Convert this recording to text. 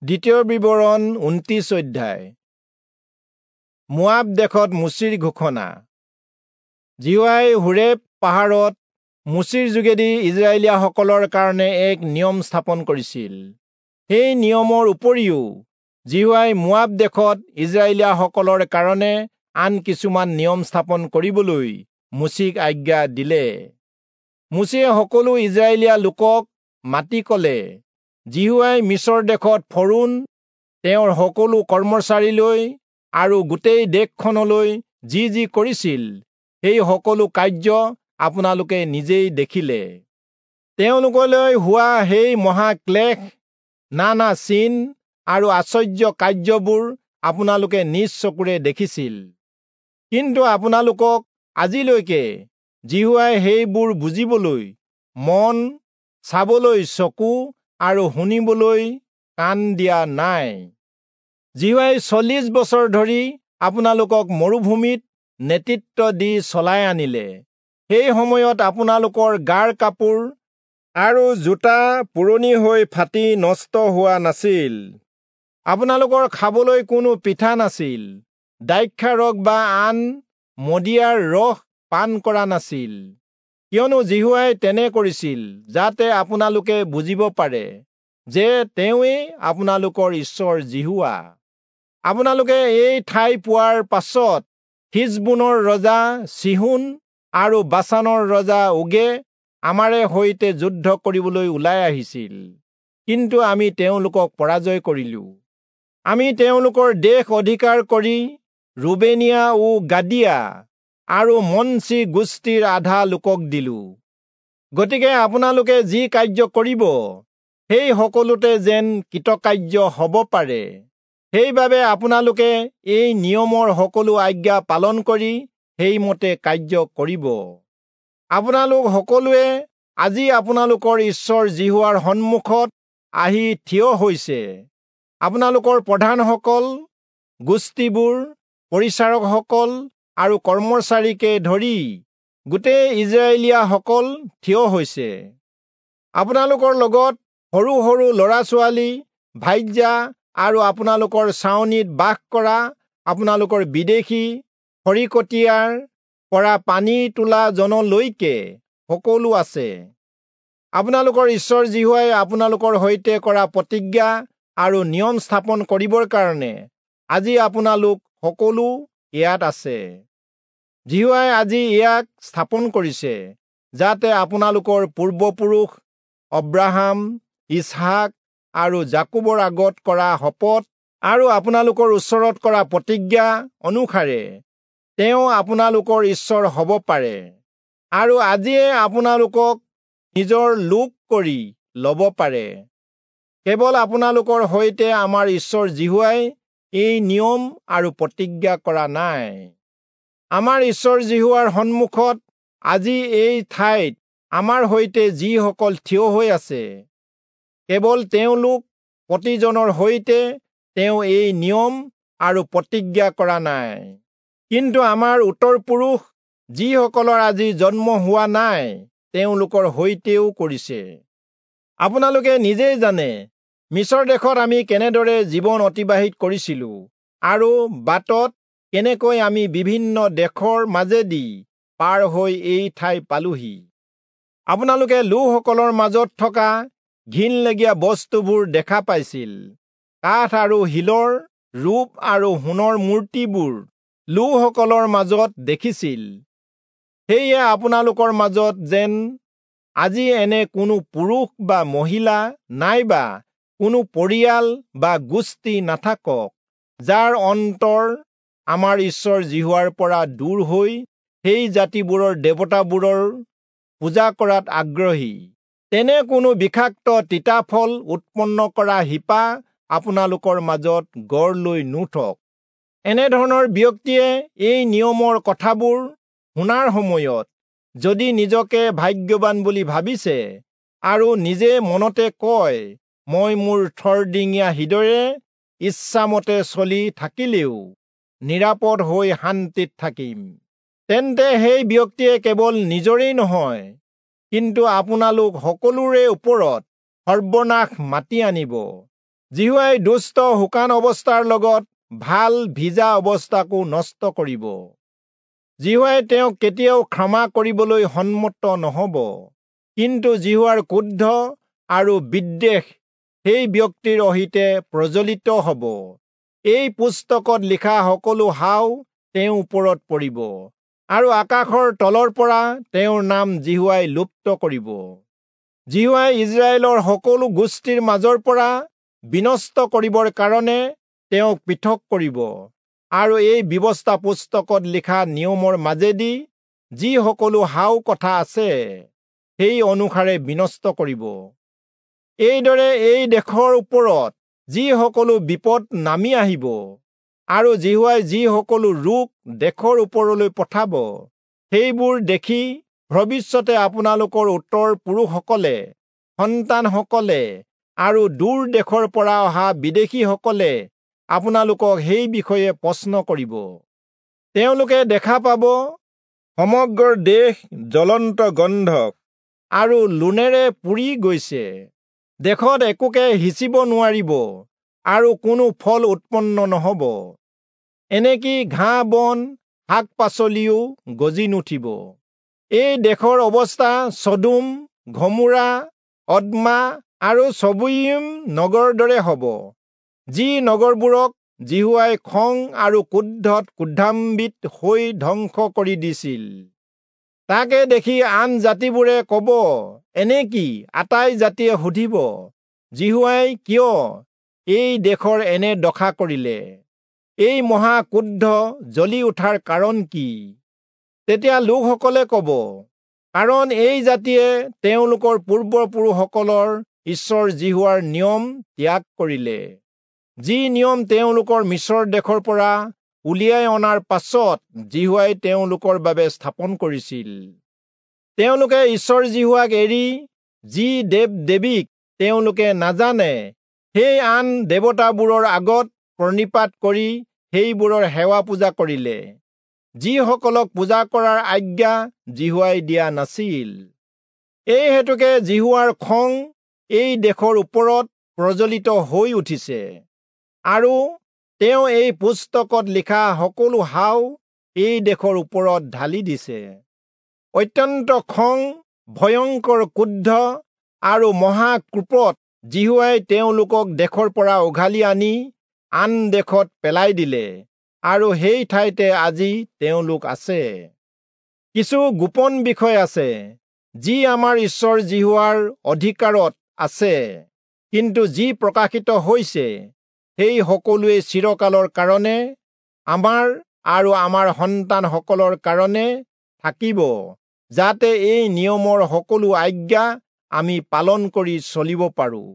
দ্বিতীয় বিৱৰণ 29 অধ্যায়। মোৱাব দেশত মোচিৰ ঘোষণা। যিহোৱাই হোৰেব পাহাৰত মোচিৰ যোগেদি ইস্ৰায়েলীয়াসকলৰ কাৰণে এক নিয়ম স্থাপন কৰিছিল। সেই নিয়মৰ উপৰিও যিহোৱাই মোৱাব দেশত ইস্ৰায়েলীয়াসকলৰ কাৰণে আন কিছুমান নিয়ম স্থাপন কৰিবলৈ মোচিক আজ্ঞা দিলে। মোচিয়ে সকলো ইস্ৰায়েলীয়া লোকক মাতি ক'লে, যিহোৱাই মিচৰ দেশত ফৰৌণ, তেওঁৰ সকলো কৰ্মচাৰীলৈ আৰু গোটেই দেশখনলৈ যি যি কৰিছিল, সেই সকলো কাৰ্য আপোনালোকে নিজেই দেখিলে। তেওঁলোকলৈ হোৱা সেই মহাক্লেশ, নানা চিন আৰু আশ্চৰ্য কাৰ্যবোৰ আপোনালোকে নিজ চকুৰে দেখিছিল। কিন্তু আপোনালোকক আজিলৈকে যিহোৱাই সেইবোৰ বুজিবলৈ মন, চাবলৈ চকু আৰু শুনিবলৈ কাণ দিয়া নাই। যিহোৱাই 40 বছৰ ধৰি আপোনালোকক মৰুভূমিত নেতৃত্ব দি চলাই আনিলে। সেই সময়ত আপোনালোকৰ গাৰ কাপোৰ আৰু জোতা পুৰণি হৈ ফাটি নষ্ট হোৱা নাছিল। আপোনালোকৰ খাবলৈ কোনো পিঠা নাছিল, দ্ৰাক্ষাৰস বা আন মদিয়াৰ ৰস পান কৰা নাছিল, কিয়নো যিহোৱাই তেনে কৰিছিল যাতে আপোনালোকে বুজিব পাৰে যে তেওঁৱেই আপোনালোকৰ ঈশ্বৰ যিহোৱা। আপোনালোকে এই ঠাই পোৱাৰ পাছত হিচবোনৰ ৰজা চীহোন আৰু বাচানৰ ৰজা ওগে আমাৰে সৈতে যুদ্ধ কৰিবলৈ ওলাই আহিছিল, কিন্তু আমি তেওঁলোকক পৰাজয় কৰিলোঁ। আমি তেওঁলোকৰ দেশ অধিকাৰ কৰি ৰুবেনীয়া ও গাদীয়া আৰু মনচি গোষ্ঠীৰ আধা লোকক দিলোঁ। গতিকে আপোনালোকে যি কাৰ্য কৰিব, সেই সকলোতে যেন কৃতকাৰ্য হ'ব পাৰে, সেইবাবে আপোনালোকে এই নিয়মৰ সকলো আজ্ঞা পালন কৰি সেইমতে কাৰ্য কৰিব। আপোনালোক সকলোৱে আজি আপোনালোকৰ ঈশ্বৰ যিহোৱাৰ সন্মুখত আহি থিয় হৈছে। আপোনালোকৰ প্ৰধানসকল, গোষ্ঠীবোৰ, পৰিচাৰকসকল আৰু কৰ্মচাৰীকে ধৰি গোটেই ইস্ৰায়েলীয়াসকল থিয় হৈছে। আপোনালোকৰ লগত সৰু সৰু ল'ৰা-ছোৱালী, ভাৰ্যা আৰু আপোনালোকৰ ছাউনিত বাস কৰা আপোনালোকৰ বিদেশী, খৰিকটীয়াৰ পৰা পানী তোলা জনলৈকে সকলো আছে। আপোনালোকৰ ঈশ্বৰ যিহোৱাই আপোনালোকৰ সৈতে কৰা প্ৰতিজ্ঞা আৰু নিয়ম স্থাপন কৰিবৰ কাৰণে আজি আপোনালোক সকলো ইয়াত আছে। যিহোৱাই আজি ইয়াক স্থাপন কৰিছে, যাতে আপোনালোকৰ পূৰ্বপুৰুষ অব্ৰাহাম, ইচহাক আৰু যাকোবৰ আগত কৰা শপত আৰু আপোনালোকৰ ওচৰত কৰা প্ৰতিজ্ঞা অনুসাৰে তেওঁ আপোনালোকৰ ঈশ্বৰ হ'ব পাৰে আৰু আজিয়ে আপোনালোকক নিজৰ লোক কৰি ল'ব পাৰে। কেৱল আপোনালোকৰ সৈতে আমাৰ ঈশ্বৰ যিহোৱাই এই নিয়ম আৰু প্ৰতিজ্ঞা কৰা নাই। আমাৰ ঈশ্বৰ যিহোৱাৰ সন্মুখত আজি এই ঠাইত আমাৰ সৈতে যিসকল থিয় হৈ আছে, কেৱল তেওঁলোক প্ৰতিজনৰ সৈতে তেওঁ এই নিয়ম আৰু প্ৰতিজ্ঞা কৰা নাই, কিন্তু আমাৰ উত্তৰ পুৰুষ যিসকলৰ আজি জন্ম হোৱা নাই, তেওঁলোকৰ সৈতেও কৰিছে। আপোনালোকে নিজেই জানে মিচৰ দেশত আমি কেনেদৰে জীৱন অতিবাহিত কৰিছিলোঁ আৰু বাটত কেনেকৈ আমি বিভিন্ন দেশৰ মাজেদি পাৰ হৈ এই ঠাই পালোহি। আপোনালোকে লোকসকলৰ মাজত থকা ঘিণলগীয়া বস্তুবোৰ দেখা পাইছিল। কাঠ আৰু শিলৰ ৰূপ আৰু সোণৰ মূৰ্তিবোৰ লোকসকলৰ মাজত দেখিছিল। সেয়ে আপোনালোকৰ মাজত যেন আজি এনে কোনো পুৰুষ বা মহিলা নাইবা কোনো পৰিয়াল বা গোষ্ঠী নাথাকক, যাৰ অন্তৰ আমাৰ ঈশ্বৰ যিহোৱাৰ পৰা দূৰ হৈ সেই জাতিবোৰৰ দেৱতাবোৰৰ পূজা কৰাত আগ্ৰহী। তেনে কোনো বিষাক্ত তিতা ফল উৎপন্ন কৰা শিপা আপোনালোকৰ মাজত গঢ় লৈ নুঠক। এনেধৰণৰ ব্যক্তিয়ে এই নিয়মৰ কথাবোৰ শুনাৰ সময়ত যদি নিজকে ভাগ্যৱান বুলি ভাবিছে আৰু নিজে মনতে কয়, মই মোৰ থৰডিঙীয়া হৃদয়েৰে ইচ্ছামতে চলি থাকিলেও নিৰাপদ হৈ শান্তিত থাকিম, তেন্তে সেই ব্যক্তিয়ে কেৱল নিজৰেই নহয়, কিন্তু আপোনালোক সকলোৰে ওপৰত সৰ্বনাশ মাতি আনিব। যিহোৱাই দুষ্ট শুকান অৱস্থাৰ লগত ভাল ভিজা অৱস্থাকো নষ্ট কৰিব। যিহোৱাই তেওঁক কেতিয়াও ক্ষমা কৰিবলৈ সন্মত নহ'ব, কিন্তু যিহোৱাৰ ক্ৰোধ আৰু বিদ্বেষ সেই ব্যক্তিৰ অহিতে প্ৰজ্বলিত হ'ব। এই পুস্তকত লিখা সকলো শাও তেওঁৰ ওপৰত পৰিব, আৰু আকাশৰ তলৰ পৰা তেওঁৰ নাম যিহোৱাই লুপ্ত কৰিব। যিহোৱাই ইস্ৰায়েলৰ সকলো গোষ্ঠীৰ মাজৰ পৰা বিনষ্ট কৰিবৰ কাৰণে তেওঁক পৃথক কৰিব, আৰু এই ব্যৱস্থা পুস্তকত লিখা নিয়মৰ মাজেদি যি সকলো শাও কথা আছে সেই অনুসাৰে বিনষ্ট কৰিব। এইদৰে এই দেশৰ ওপৰত যি সকলো বিপদ নামি আহিব আৰু যিহোৱাই যি সকলো ৰোগ দেশৰ ওপৰলৈ পঠাব, সেইবোৰ দেখি ভৱিষ্যতে আপোনালোকৰ উত্তৰ পুৰুষসকলে, সন্তানসকলে আৰু দূৰ দেশৰ পৰা অহা বিদেশীসকলে আপোনালোকক সেই বিষয়ে প্ৰশ্ন কৰিব। তেওঁলোকে দেখা পাব সমগ্ৰ দেশ জ্বলন্ত গন্ধক আৰু লোণেৰে পুৰি গৈছে, দেশত একোকে সিঁচিব নোৱাৰিব আৰু কোনো ফল উৎপন্ন নহ'ব, এনেকি ঘাঁহ বন শাক পাচলিও গজি নুঠিব। এই দেশৰ অৱস্থা চদোম, ঘমোৰা, অদ্মা আৰু চবয়িম নগৰৰ দৰে হ'ব, যি নগৰবোৰক যিহোৱাই খং আৰু ক্ৰোধত ক্ৰোধান্বিত হৈ ধ্বংস কৰি দিছিল। তাকে দেখি আন জাতিবোৰে ক'ব, এনেকি আটাই জাতিয়ে সুধিব, যিহোৱাই কিয় এই দেশৰ এনে দশা কৰিলে? এই মহা ক্ৰোধ জ্বলি উঠাৰ কাৰণ কি? তেতিয়া লোকসকলে ক'ব, কাৰণ এই জাতিয়ে তেওঁলোকৰ পূৰ্বপুৰুষসকলৰ ঈশ্বৰ যিহোৱাৰ নিয়ম ত্যাগ কৰিলে, যি নিয়ম তেওঁলোকৰ মিচৰ দেশৰ পৰা উলিয়াই অনাৰ পাছত যিহোৱাই তেওঁলোকৰ বাবে স্থাপন কৰিছিল। তেওঁলোকে ঈশ্বৰ যিহোৱাক এৰি যি দেৱ দেৱীক তেওঁলোকে নাজানে সেই আন দেৱতাবোৰৰ আগত প্ৰণিপাত কৰি সেইবোৰৰ সেৱা পূজা কৰিলে, যিসকলক পূজা কৰাৰ আজ্ঞা যিহোৱাই দিয়া নাছিল। এই হেতুকে যিহোৱাৰ খং এই দেশৰ ওপৰত প্ৰজ্বলিত হৈ উঠিছে, আৰু তেওঁ এই পুস্তকত লিখা সকলো শাও এই দেশৰ ওপৰত ঢালি দিছে। অত্যন্ত খং, ভয়ংকৰ ক্ৰোধ আৰু মহাক্ৰোপত যিহোৱাই তেওঁলোকক দেশৰ পৰা উঘালি আনি আন দেশত পেলাই দিলে, আৰু সেই ঠাইতে আজি তেওঁলোক আছে। কিছু গোপন বিষয় আছে যি আমাৰ ঈশ্বৰ যিহোৱাৰ অধিকাৰত আছে, কিন্তু যি প্ৰকাশিত হৈছে সেই সকলোৱে চিৰকালৰ কাৰণে আমাৰ আৰু আমাৰ সন্তানসকলৰ কাৰণে থাকিব, যাতে এই নিয়মৰ সকলো আজ্ঞা আমি পালন কৰি চলিব পাৰোঁ।